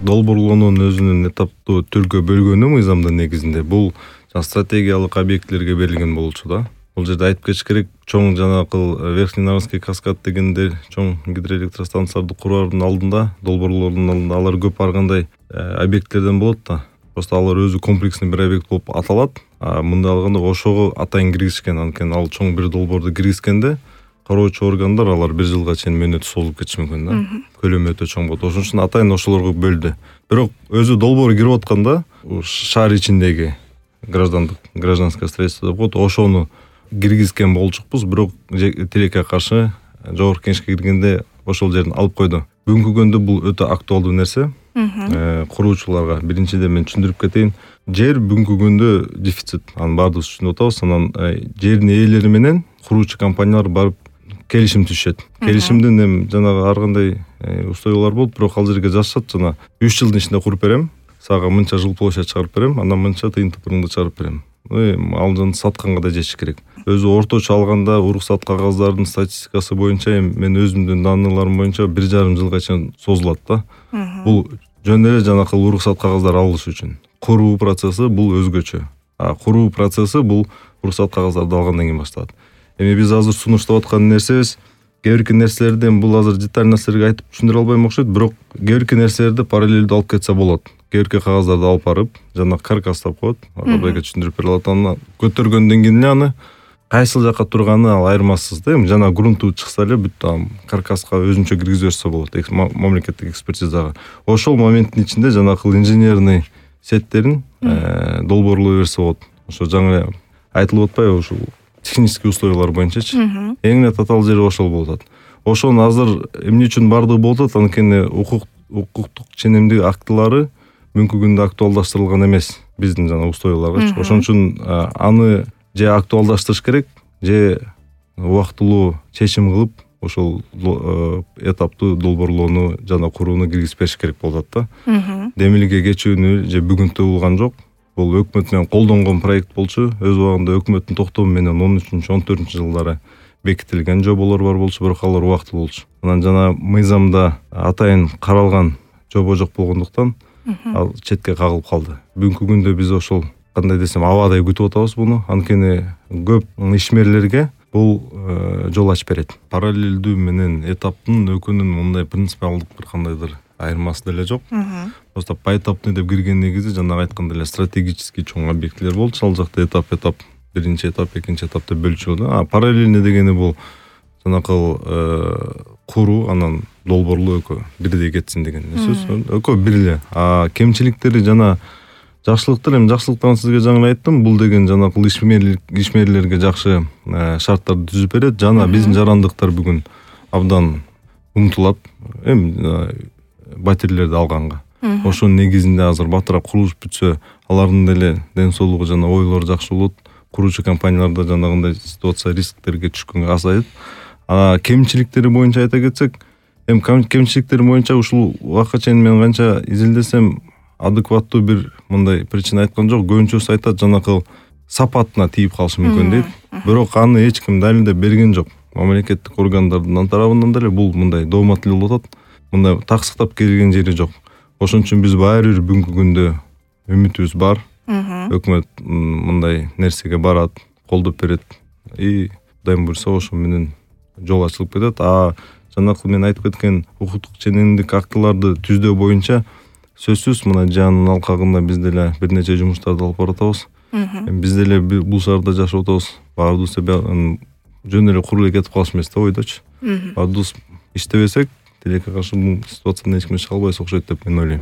долбоорлоонун өзүнүн этаптуу түргө бөлгөнү мыйзамдын негизинде бул стратегиялык объектилерге берилген болчу да. Бул жерде айтып кетиш керек, чоң жанакыл Верхний Нарвский каскад дегенде чоң гидроэлектростанцияларды куруунун алдында, долбоорлордун алдында алар көп баргандай объектилерден болот да. Просто алар өзү комплексный бир объект болуп аталат. Мындай алганда ошого атайын киргизишкен. Анткени ал чоң бир долбоорду киргизгенде кароочу органдар алар 1 жылга чейин мөөнөтү созулуп кетиши мүмкүн да. Көлөмү өтө чоң болот. Ошон үчүн атайын ошолорго бөлдү. Бирок өзү долбоор кирип атканда шаар ичиндеги гражданское строительство деп коет, ошону киргизген болчукпуз, бирок тилекке каршы жогорку кеңешке киргенде ошол жерден алып койду. Бүгүнкү күндө бул өтө актуалдуу нерсе. Куруучуларга биринчиден мен түшүндүрүп кетейин. Жер бүгүнкү күндө дефицит. Анын баардыгыбыз түшүнүп атабыз. Анан жердин ээлери менен куруучу компаниялар барып келишим түзүшөт. Келишимдин эми жанагы ар кандай условиялар болот, бирок ал жерге жазышат, жана 3 жылдын ичинде куруп берем, сага мынча жыл площадь чыгарып берем, андан мынча тыйын тыпырыңды чыгарып берем. Ал жана сатканга да жетиш керек. Өзү орточо алганда уруксат кагаздардын статистикасы боюнча мен өзүмдүн данныйларым боюнча 1,5 жылга чейин созулат да. Бул жөн эле жанакыл уруксат кагаздар алыш үчүн. Куруу процесси бул өзгөчө. Куруу процесси бул уруксат кагаздарды алгандан кийин башталат. Эми биз азыр сунуштап аткан нерсебиз кээ бирки нерселерден бул азыр деталь нерселерге айтып түшүндүрө албайм окшойт, бирок кээ бирки нерселерди параллелдүү алып кетсе болот. Кээ бирки кагаздарды алып барып, жана каркас деп коет, Атабайга түшүндүрүп бере алат. Аны көтөргөндөн кийин аны кайсыл жакка турганы ал айырмасыз да. Эми жана грунту чыкса эле бүт каркаска өзүнчө киргизип берсе болот мамлекеттик экспертизага. Ошол моменттин ичинде жанакыл инженерный сеттерин долбоорлой берсе болот. Ошо жаңы айтылып атпайбы, ушул технический условиялар боюнчачы. Эң эле татаал жери ошол болуп атат. Ошону азыр эмне үчүн бардыгы болуп атат? Анткени укуктук ченемдик актылары бүгүнкү күндө актуалдаштырылган эмес биздин жана условияларга. Ошон үчүн аны же актуалдаштырыш керек, же убактылуу чечим кылып ошол этаптуу долбоорлоону жана курууну киргизип бериш керек болот да. Демилге кечүүнү же бүгүн табылган жок. Бул өкмөт менен колдонгон проект болчу. Өз убагында өкмөттүн токтому менен 13-14-жылдары бекитилген жоболор бар болчу, бирок алар убактылуу болчу. Анан жана мыйзамда атайын каралган жобо жок болгондуктан ал четке кагылып калды. Бүгүнкү күндө биз ошол кандай десем абадай күтүп атабыз буну. Анткени көп ишмерлерге бул жол ачып берет. Параллелдүү менен этаптын өкүнүн мындай принципиалдык бир кандайдыр айырмасы деле жок. Просто поэтапный деп кирген негизи жанагы айткандай эле стратегический чоң объектилер болчу. Ал жакта этап, биринчи этап, экинчи этап деп бөлчүлдү. Параллельный дегени бул жанакыл куруу, анан долбоорлоо экөө бирдей кетсин деген сөз. Экөө бир эле. Кемчиликтери жана жакшылыктар, эми жакшылыктарын сизге жаңы айттым. Бул деген жанакыл ишмерлерге жакшы шарттарды түзүп берет. Жана биздин жарандыктар бүгүн абдан умтулат. Эми батирлерди алганга. Ошонун негизинде азыр батыраак курулуш бүтсө, алардын деле ден соолугу жана ойлору жакшы болот. Куруучу компанияларда жанагындай ситуация рисктерге түшкөнгө азайат. Кемчиликтери боюнча айта кетсек, эми кемчиликтери боюнча ушул убакка чейин мен канча изилдесем адекваттуу бир мындай причина айткан жок. Көбүнчөсү айтат жанакыл сапатына тийип калышы мүмкүн дейт. Бирок аны эч ким далилдеп берген жок. Мамлекеттик органдардын тарабынан деле бул мындай доомат эле болуп атат. Мындай таксыктап келген жери жок. Ошон үчүн биз баары бир бүгүнкү күндө үмүтүбүз бар. Өкмөт мындай нерсеге барат, колдоп берет. Кудайым буйрса ошо менен жол ачылып кетет. Жанакыл мен айтып кеткен укуктук ченемдик актыларды түздөө боюнча сөзсүз мына жанын алкагында биз деле бир нече жумуштарды алып баратабыз. Биз деле бул шаарда жашап атабыз. Баардыгыбыз жөн эле куруп кетип калыш эмес да ойдочу. Баардыгыбыз иштебесек, тилекке каршы бул ситуациядан эч ким чыга албайбыз окшойт деп мен ойлойм.